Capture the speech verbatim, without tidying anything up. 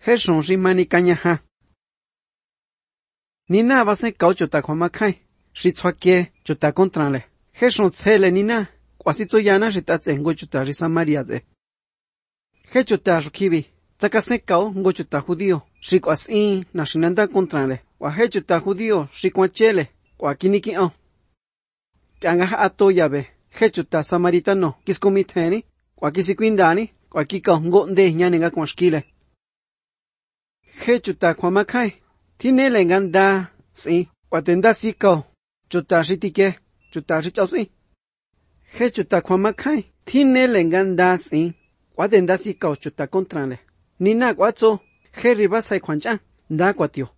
hết sống ri mani canya ha. Nina va se cao chuta kwa makai, ri chua kie chuta contra le. Hết sống tse le nina, kwa si tso yana ri ta tse ngo chuta ri Samaria ze. Hết chuta rukibi, tsaka se cao ngo chuta judío, ri kwa si na shinanda contra le. Wa hết chuta judío ri kwa chele, kwa kiniki on. Kanga ha ato yabe, hết chuta samaritano, kis komiteni, kwa kisi kwindani, kwa kika ngo nde nyane nga kwa shkile. Hết chuta kwa makai, tine le nganda si, kwa tenda si kao, chuta ritike, chuta richao si. Hết chuta kwa makai, tine le nganda si, kwa tenda si kao chuta kontra le. Nina kwa tso, he riba sai kwan chan, nda kwa tio.